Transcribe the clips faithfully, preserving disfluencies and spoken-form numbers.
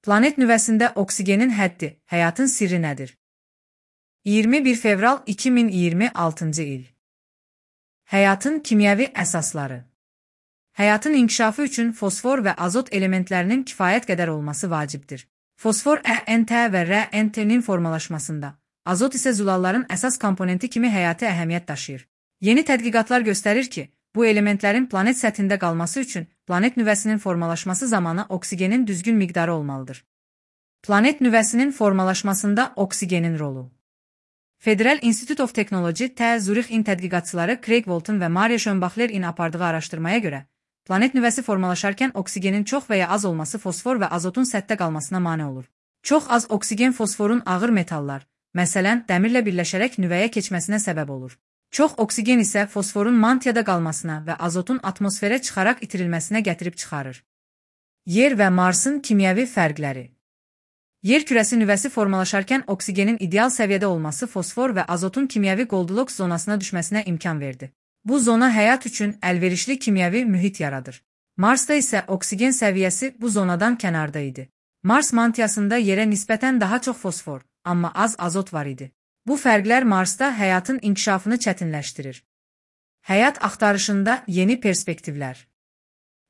Planet nüvəsində oksigenin həddi, həyatın sirri nədir? iyirmi bir fevral iki min iyirmi altıncı il. Həyatın kimyəvi əsasları. Həyatın inkişafı üçün fosfor və azot elementlərinin kifayət qədər olması vacibdir. Fosfor E N T və R N T-nin formalaşmasında, azot isə zülalların əsas komponenti kimi həyati əhəmiyyət daşıyır. Yeni tədqiqatlar göstərir ki, bu elementlərin planet səthində qalması üçün planet nüvəsinin formalaşması zamanı oksigenin düzgün miqdarı olmalıdır. Planet nüvəsinin formalaşmasında oksigenin rolu. Federal Institute of Technology T Zürix-in tədqiqatçıları Craig Walton və Maria Schönbachler-in apardığı araşdırmaya görə, planet nüvəsi formalaşarkən oksigenin çox və ya az olması fosfor və azotun səthdə qalmasına mane olur. Çox az oksigen fosforun ağır metallar, məsələn, dəmirlə birləşərək nüvəyə keçməsinə səbəb olur. Çox oksigen isə fosforun mantiyada qalmasına və azotun atmosferə çıxaraq itirilməsinə gətirib çıxarır. Yer və Marsın kimyəvi fərqləri. Yer kürəsi nüvəsi formalaşarkən oksigenin ideal səviyyədə olması fosfor və azotun kimyəvi Goldilocks zonasına düşməsinə imkan verdi. Bu zona həyat üçün əlverişli kimyəvi mühit yaradır. Marsda isə oksigen səviyyəsi bu zonadan kənarda idi. Mars mantiyasında yerə nisbətən daha çox fosfor, amma az azot var idi. Bu fərqlər Marsda həyatın inkişafını çətinləşdirir. Həyat axtarışında yeni perspektivlər.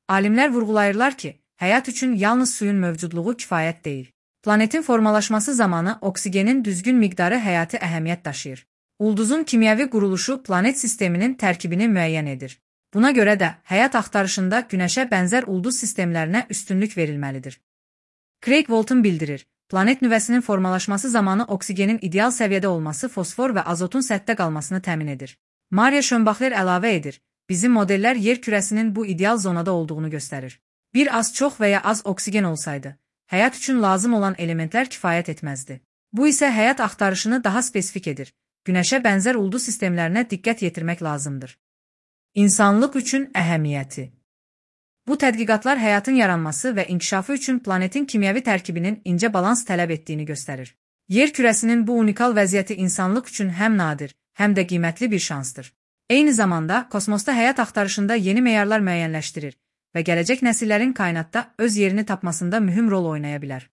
Alimlər vurğulayırlar ki, həyat üçün yalnız suyun mövcudluğu kifayət deyil. Planetin formalaşması zamanı oksigenin düzgün miqdarı həyati əhəmiyyət daşıyır. Ulduzun kimyəvi quruluşu planet sisteminin tərkibini müəyyən edir. Buna görə də həyat axtarışında Günəşə bənzər ulduz sistemlərinə üstünlük verilməlidir. Craig Walton bildirir, planet nüvəsinin formalaşması zamanı oksigenin ideal səviyyədə olması fosfor və azotun səthdə qalmasını təmin edir. Maria Schönbachler əlavə edir, bizim modellər yer kürəsinin bu ideal zonada olduğunu göstərir. Bir az çox və ya az oksigen olsaydı, həyat üçün lazım olan elementlər kifayət etməzdi. Bu isə həyat axtarışını daha spesifik edir. Günəşə bənzər ulduz sistemlərinə diqqət yetirmək lazımdır. İnsanlıq üçün əhəmiyyəti. Bu tədqiqatlar həyatın yaranması və inkişafı üçün planetin kimyəvi tərkibinin incə balans tələb etdiyini göstərir. Yer kürəsinin bu unikal vəziyyəti insanlıq üçün həm nadir, həm də qiymətli bir şansdır. Eyni zamanda, kosmosda həyat axtarışında yeni meyarlar müəyyənləşdirir və gələcək nəsillərin kainatda öz yerini tapmasında mühüm rol oynaya bilər.